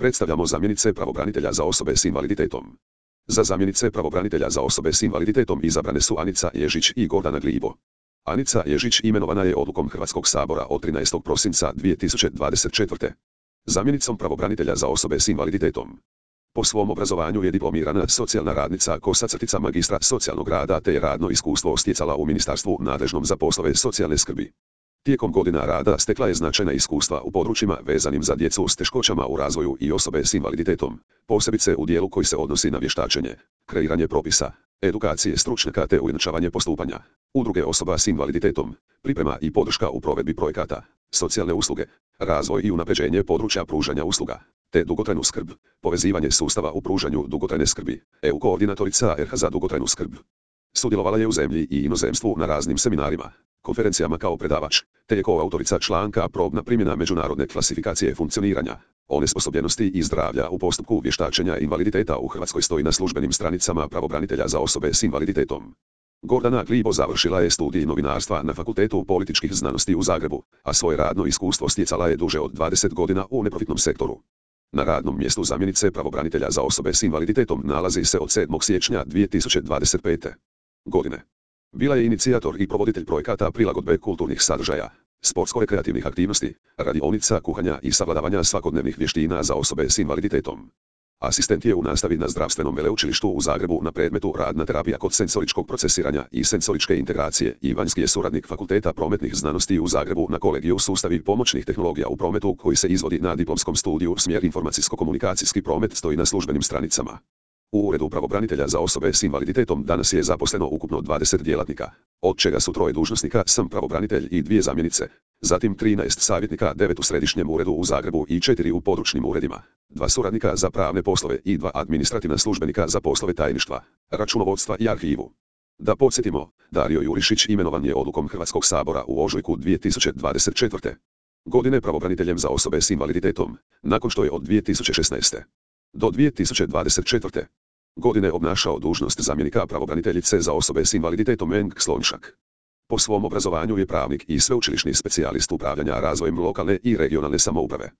Predstavljamo zamjenice pravobranitelja za osobe s invaliditetom. Za zamjenice pravobranitelja za osobe s invaliditetom izabrane su Anica Ježić i Gordana Glibo. Anica Ježić imenovana je odlukom Hrvatskog sabora od 13. prosinca 2024. Zamjenicom pravobranitelja za osobe s invaliditetom. Po svom obrazovanju je diplomirana socijalna radnica magistra socijalnog rada te je radno iskustvo stjecala u ministarstvu nadležnom za poslove socijalne skrbi. Tijekom godina rada stekla je značajna iskustva u područjima vezanim za djecu s teškoćama u razvoju i osobe s invaliditetom, posebice u dijelu koji se odnosi na vještačenje, kreiranje propisa, edukacije stručnjaka te ujednačavanje postupanja, udruge osoba s invaliditetom, priprema i podrška u provedbi projekata, socijalne usluge, razvoj i unapređenje područja pružanja usluga, te dugotrajnu skrb, povezivanje sustava u pružanju dugotrajne skrbi, EU koordinatorica RH za dugotrajnu skrb. Sudjelovala je u zemlji i inozemstvu na raznim seminarima, konferencijama kao predavač, te je koautorica članka Probna primjena međunarodne klasifikacije funkcioniranja, onesposobljenosti i zdravlja u postupku vještačenja invaliditeta u Hrvatskoj stoji na službenim stranicama pravobranitelja za osobe s invaliditetom. Gordana Glibo završila je studij novinarstva na Fakultetu političkih znanosti u Zagrebu, a svoje radno iskustvo stjecala je duže od 20 godina u neprofitnom sektoru. Na radnom mjestu zamjenice pravobranitelja za osobe s invaliditetom nalazi se od 7. siječnja 2025. godine. Bila je inicijator i provoditelj projekata prilagodbe kulturnih sadržaja, sportsko-rekreativnih aktivnosti, radionica, kuhanja i savladavanja svakodnevnih vještina za osobe s invaliditetom. Asistent je u nastavi na Zdravstvenom veleučilištu u Zagrebu na predmetu radna terapija kod senzoričkog procesiranja i senzoričke integracije i vanjski je suradnik Fakulteta prometnih znanosti u Zagrebu na kolegiju sustavi pomoćnih tehnologija u prometu koji se izvodi na diplomskom studiju smjer informacijsko-komunikacijski promet stoji na službenim stranicama. U Uredu pravobranitelja za osobe s invaliditetom danas je zaposleno ukupno 20 djelatnika, od čega su 3 dužnosnika, sam pravobranitelj i 2 zamjenice, zatim 13 savjetnika, 9 u Središnjem uredu u Zagrebu i 4 u područnim uredima, 2 suradnika za pravne poslove i 2 administrativna službenika za poslove tajništva, računovodstva i arhivu. Da podsjetimo, Dario Jurišić imenovan je odlukom Hrvatskog sabora u ožujku 2024. godine pravobraniteljem za osobe s invaliditetom, nakon što je od 2016. do 2024. godine obnašao dužnost zamjenika pravobraniteljice za osobe s invaliditetom Meng Slonjšak. Po svom obrazovanju je pravnik i sveučilišni specijalist upravljanja razvojem lokalne i regionalne samouprave.